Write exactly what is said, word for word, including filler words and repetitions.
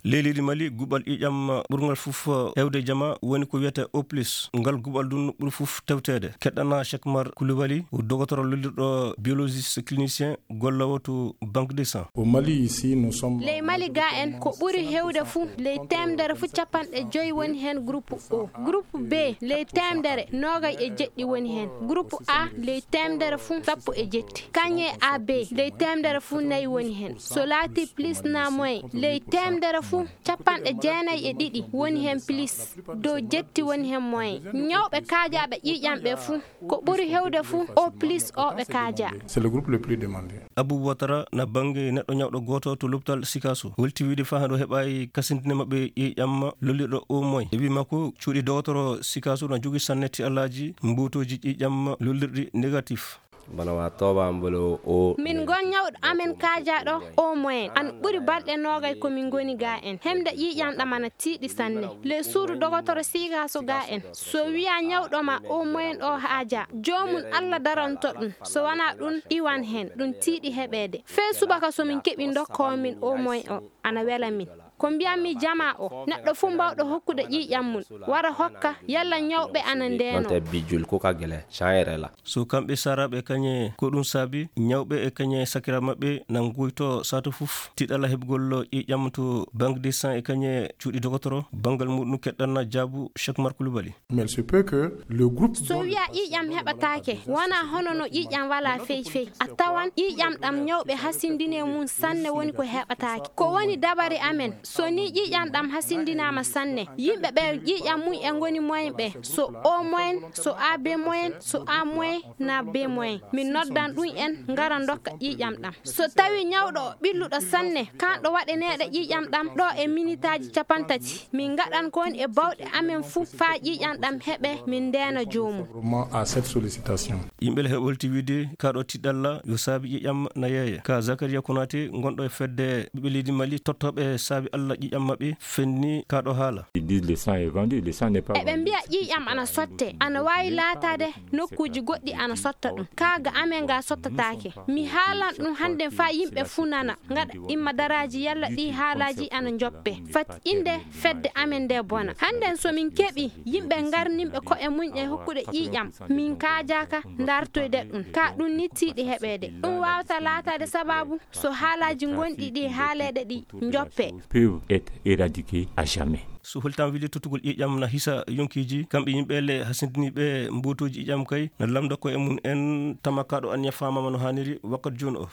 Ley leydi Mali, guɓal ƴiiƴam ɓurngal fof heewde jama woni ko wiyetee O plus. Ngal guɓal ɗum ɓuri fof tewteede. Keɗɗana Cheikh Mar Koulibaly, o dogotoro lollirɗo biologiste clinicien golloowo to Banque de Sang. Au Mali, ici, nous sommes... Ley Mali ga en, ko ɓuri heewde fof, ley teemedere fof capanɗe joyi woni heen groupe O. Groupe B, ley teemedere noogay e jeɗɗi woni heen. Groupe A, ley teemedere fof sappo e jetti. Kañe A B, ley teemedere fof nayi woni heen. So laati plus na moins, ley teemedere fof capanɗe jeenayi e ɗiɗi woni heen plus, dow jetti woni heen moins. Ñawɓe kaajaaɓe ƴiiƴam ɓe fof, ko ɓuri heewde fof O plus o ɓe kaajaa. C'est le groupe le plus demandé. Abou Ouattara na bannge neɗɗo ñawɗo gooto to lopital Sikaso. Holti wiide faa hannde o heɓaay kasindine maɓɓe ƴiiƴam lollirɗo O moins. E wii makko, cuuɗi dogotoro Sikaso na jogii sanne tiɗallaaji mbuutooji ƴiiƴam lollirɗi négatif. Bana wa tooba am bolo o. Min ngon ñawɗo amen kaajaaɗo O moins. Ana ɓuri balɗe noogay ko min ngoni ga en. Heɓde ƴiiƴam ɗam ana tiiɗi sanne. Ley suudu dogotoro Sikaso ga en. So wiyaa ñawɗo ma O moins ɗo haaja, joomum Alla daranto ɗum. So wanaa ɗum, iwan heen. Ɗum tiiɗi heɓeede. Fee subaka so min keɓi ndokkoowo min O moins o, ana wela min. Ko mbiyanmi jama o, neɗɗo fof mbawɗo hokkude ƴiiƴam mum, wara hokka, yalla ñawɓe ana ndeeno. Wante bijjul ko ka gele, caayere la. So kamɓe saaraaɓe kañe, ko ɗum saabi ñawɓe e kañe sakiraaɓe maɓɓe na nguyto saatu fof tiɗalla heɓgol ƴiiƴam to Banque de Sang e kañe cuuɗi dogotoro, banngal muɗum keɗɗanna jaabu Cheikh Mar Koulibaly. Mais il se peut que le groupe... So wiyaa ƴiiƴam heɓataake, wonaa hono no ƴiiƴam walaa fey fey. A tawan ƴiiƴam ɗam ñawɓe hasindinii mum sanne woni ko heɓataake. Ko woni dabare amen, so ni ƴiiƴam ɗam hasindinaama sanne, yimɓe ɓe ƴiiƴam mum e ngoni moins ɓe, so O moins, so A B moins, so A moins na B moins, min noddan ɗum en, ngara ndokka ƴiiƴam ɗam. So tawi ñawɗo o ɓilluɗo sanne, kanɗo waɗaneede ƴiiƴam ɗam ɗo e minitaaji capantati, min ngaɗan ko woni e bawɗe amen fuu faa ƴiiƴam ɗam heɓe, min ndeena joomum. Vraiment à cette sollicitation. Yimɓe le heɓolti wiide kaɗo tiɗalla yo saabi ƴiiƴam na yeeya. Ka Zakaria Konaté, gonɗo e fedde ɓiɓɓe leydi Mali, tottooɓe saabi Alla ƴiiƴam maɓɓe, fenni kaɗo haala. Ils disent le sang est vendu, le sang n'est pas vendu. Eɓe mbiya ƴiiƴam ana sotte, ana waawi laataade nokkuuji goɗɗi ana sotta ɗum. Kaa ga amen ga sottataake. Mi haalan ɗum hannden faa yimɓe fuu nana, ngaɗa imma daraaji yalla ɗii haalaaji ana njoppe. Fati innde fedde amen nde bona. Hannden so min keɓi yimɓe ngarninɓe ko'e mum e hokkude ƴiiƴam, min kaajaaka ndartoyde ɗum. Kaa ɗum ni tiiɗi heɓeede. Ɗum waawata laataade sabaabu so haalaaji ngonɗi ɗi haaleede ɗi njoppe. Peuvent être éradiqués à jamais. So holtaama wili tottugol ƴiiƴam na hisa yonkiiji, kamɓe yimɓe le hasindiniiɓe mbuutuuji ƴiiƴam kay na lamnda koye mum en tama kaɗo anniya faamaama no haaniri wakkati jooni o.